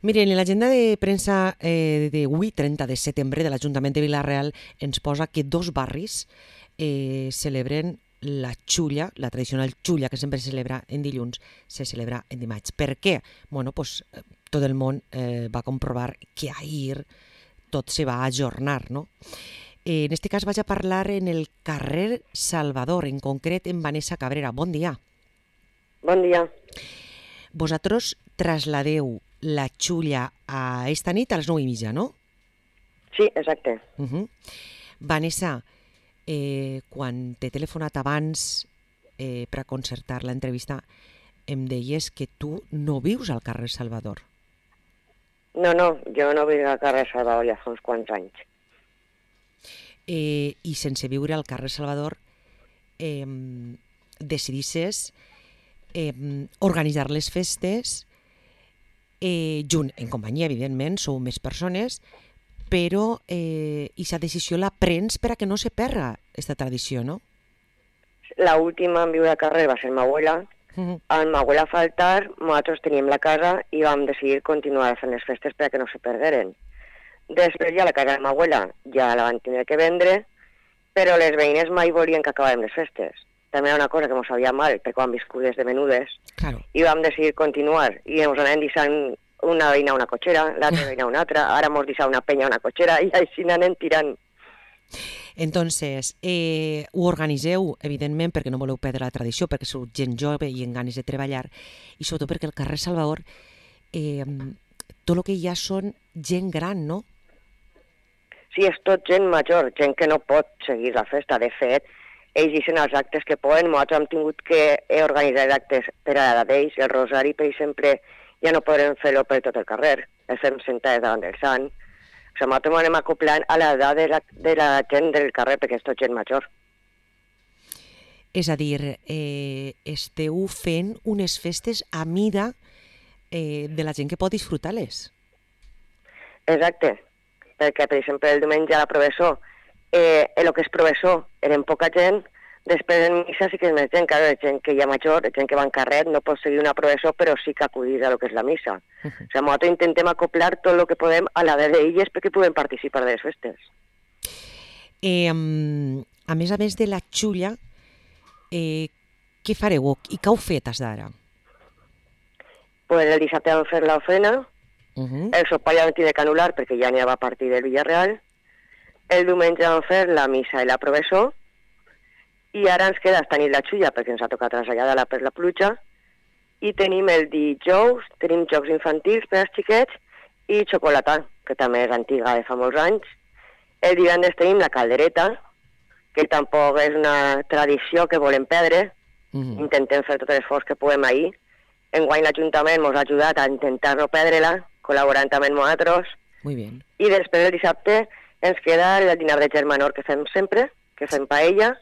Miren, en l'agenda de premsa d'avui, 30 de setembre, de l'Ajuntament de Vila-real, ens posa que dos barris celebren la xulla, la tradicional xulla que sempre se celebra en dilluns, se celebra en dimarts. Per què? Bueno, pues tot el món va comprovar que ahir tot se va ajornar, no? En este cas vaig a parlar en el carrer Salvador, en concret en Vanessa Cabrera. Bon dia. Bon dia. Vosaltres trasladeu la xulla a esta nit a les 9:30, no? Sí, exacte. Vanessa, quan t'he telefonat abans per a concertar l'entrevista, em deies que tu no vius al carrer Salvador. No, jo no vic al carrer Salvador ja fa uns quants anys. I sense viure al carrer Salvador decidisses organitzar les festes junt, en companyia, evidentment, sou més persones, però aquesta decisió la prens per a que no se perda aquesta tradició, no? La última en viure al carrer va ser ma abuela. Al ma abuela faltar, nosaltres teníem la casa i vam decidir continuar fent les festes per a que no se perderen. Després ja la casa de ma abuela ja la van tenir que vendre, però les veïnes mai volien que acabàrem les festes. També era una cosa que ens sabia mal, perquè vam viscut des de menudes, Claro. i vam decidir continuar. I ens anàvem deixant una veïna una cotxera, l'altra veïna una altra, ara ens deixa una penya una cotxera, i així anem tirant. Entonces, ho organiseu, evidentment, perquè no voleu perdre la tradició, perquè sou gent jove i en ganes de treballar, i sobretot perquè el carrer Salvador, tot el que hi ha són gent gran, no? Sí, és tot gent major, gent que no pot seguir la festa. De fet, ells deixen els actes que poden. Nosaltres hem tingut que organitzar actes per a l'edat d'ells. El rosari, per exemple, ja no podrem fer-lo per tot el carrer. El fem sentades davant del sant. O sigui, nosaltres anem acoplant a l'edat de la gent del carrer, perquè és tot gent major. És a dir, esteu fent unes festes a mida de la gent que pot disfrutar-les. Exacte, perquè, per exemple, el diumenge a la professó, el que és professó eren poca gent, després en missa sí que és més gent, clar, gent que hi ha major, gent que va en carret, no pot seguir una professó, però sí que acudir a lo que és la missa. O sigui, nosaltres intentem acoplar tot el que podem a la d'elles perquè puguem participar de les festes. A més de la xulla, què fareu i què heu fet des d'ara? Pues el dissabte vam fer l'ofrena, el sopar ja vam tenir que anul·lar perquè ja n'hi va partir del Villarreal, el diumenge vam fer la missa i la professó, i ara ens queda esta nit la xulla perquè ens ha tocat traslladar-la per la pluja, i tenim el dijous, tenim jocs infantils per als xiquets i xocolata, que també és antiga de fa molts anys. El divendres tenim la caldereta, que tampoc és una tradició que volem perdre, intentem fer tot l'esforç que puguem ahir. Enguany l'Ajuntament ens ha ajudat a intentar no perdre-la, col·laborant també amb nosaltres. Muy bien. I després el dissabte ens queda el dinar de germanor que fem sempre, que fem paella,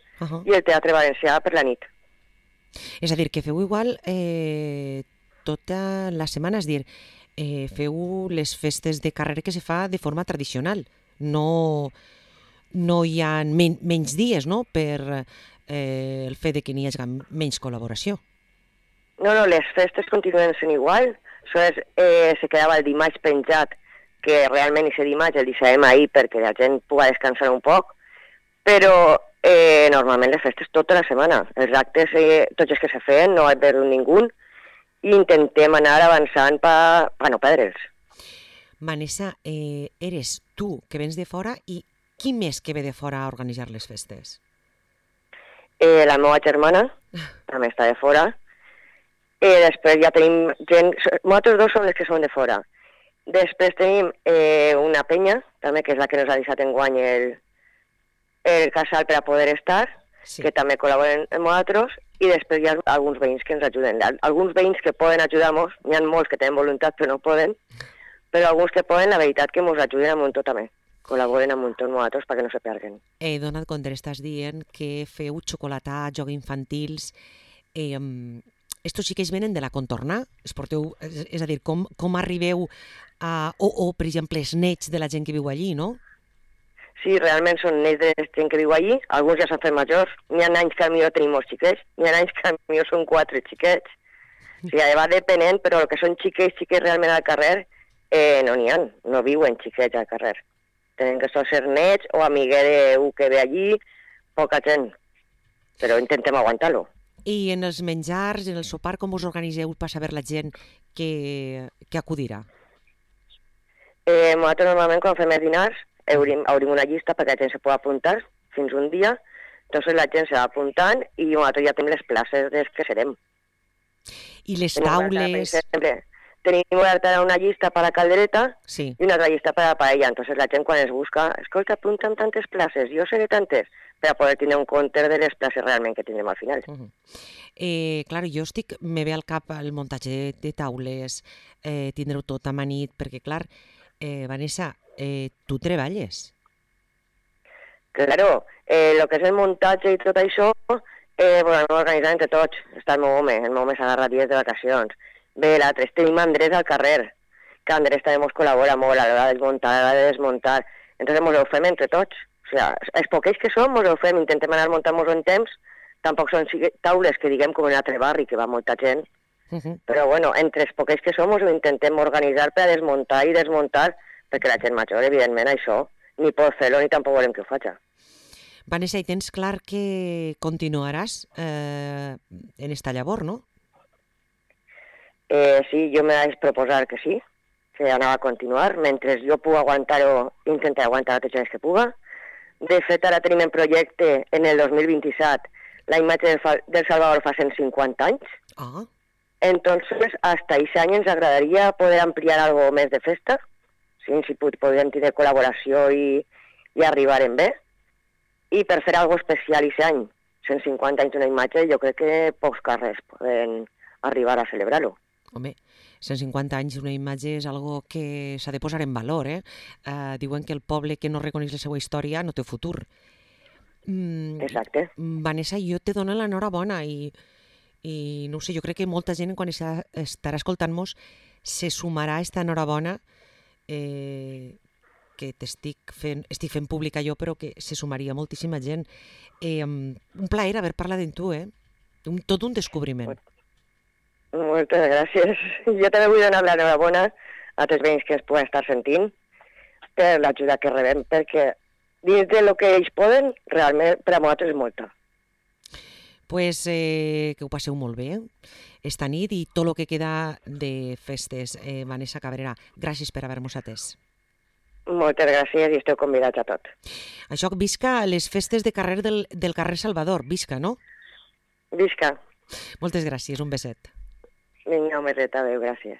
i el teatre valencià per la nit. És a dir, que feu igual tota la setmana, és dir, feu les festes de carrer que se fa de forma tradicional. No hi ha menys dies, no?, per el fet de que n'hi hagi menys col·laboració. No, les festes continuen sent igual. Se quedava el dimarts penjat, que realment aquest dimarts el deixarem ahir perquè la gent pugui descansar un poc, però normalment les festes tota la setmana. Els actes, tots els que se feien, no hi perdut ningú, i intentem anar avançant per no perdre'ls. Vanessa, eres tu que vens de fora i qui més que ve de fora a organitzar les festes? La meva germana també està de fora. Després ja tenim gent... Nosaltres dos som les que som de fora. Després tenim una penya, també, que és la que ens ha deixat enguany el casal per a poder estar, que també col·laboren amb nosaltres, i després hi ha alguns veïns que ens ajuden. Alguns veïns que poden ajudar-nos, n'hi ha molts que tenen voluntat però no poden, però alguns que poden, la veritat que ens ajuden amb un tot també. Col·laboren amb un tot nosaltres perquè no se perden. He donat compte, estàs dient que feu xocolata, jocs infantils... Estos sí que es venen de la contorna? Es porteu, és a dir, com arribeu a... O, per exemple, els nets de la gent que viu allí, no? Sí, realment són nets de la gent que viu allí. Alguns ja s'han fet majors. N'hi ha anys que potser tenim molts xiquets. N'hi ha anys que potser són 4 xiquets. O sigui, va depenent, però el que són xiquets realment al carrer No n'hi ha, no viuen xiquets al carrer. Tenen que ser nets o amiguer que ve allí, poca gent, però intentem aguantar-lo. I en els menjars, en el sopar, com us organitzeu per saber la gent que acudirà? Nosaltres normalment quan fem els dinars obrim una llista perquè la gent se pugui apuntar fins un dia, entonces la gent se va apuntant i nosaltres ja tenim les places des que serem. I les taules... Tenim oberta una llista per a caldereta sí. i una altra llista per a paella. Entonces la gent quan es busca, escolta, apunta'm tantes places, jo seré tantes, per a poder tenir un compte de les places realment que tindrem al final. Clar, jo me ve al cap el muntatge de taules, tindreu tot amanit, perquè clar, Vanessa, tu treballes. Claro, el que és el muntatge i tot això, bueno, ho organitzem entre tots. Està el meu home s'agarra dies de vacacions. Bé, l'altre, tenim Andrés al carrer, que Andrés també ens col·labora molt a l'hora de desmuntar, a l'hora de desmuntar. Entonces ens ho fem entre tots. O sigui, els poquets que som, ens ho fem, intentem anar muntant-nos en temps. Tampoc són taules que diguem com en l'altre barri, que va molta gent. Però bueno, entre els poquets que som, ens ho intentem organitzar per a desmuntar i desmuntar, perquè la gent major, evidentment, això, ni pot fer-lo ni tampoc volem que ho faci. Vanessa, i tens clar que continuaràs en esta llavor, no? Sí, jo me vaig proposar que sí, que anava a continuar. Mentre jo puc aguantar-ho, intentaré aguantar tots els que puga. De fet, ara tenim en projecte, en el 2027, la imatge del Salvador fa 150 anys. Entonces, hasta ese any ens agradaria poder ampliar algo més de festa, si podríem tenir col·laboració i arribar en bé. I per fer algo especial aquest any, 150 anys d'una imatge, jo crec que pocs carrers poden arribar a celebrar-ho. Home, 150 anys d'una imatge és algo que s'ha de posar en valor, diuen que el poble que no reconeix la seva història no té futur. Exacte. Vanessa, jo te dono l'enhorabona i no ho sé, jo crec que molta gent quan estarà escoltant-nos se sumarà a esta enhorabona que estic fent pública jo, però que se sumaria moltíssima gent. Un plaer haver parlat amb tu, tot un descobriment. Moltes gràcies. Jo també vull donar l'enhorabona a tots els veïns que es poden estar sentint per l'ajuda que rebem, perquè dins del que ells poden, realment per a nosaltres és molta. Pues que ho passeu molt bé esta nit i tot el que queda de festes. Vanessa Cabrera, gràcies per haver-nos atès. Moltes gràcies i esteu convidats a tot. Això, visca les festes de carrer del carrer Salvador, visca, no? Visca. Moltes gràcies, un beset. Vinga, un beset, adéu, gràcies.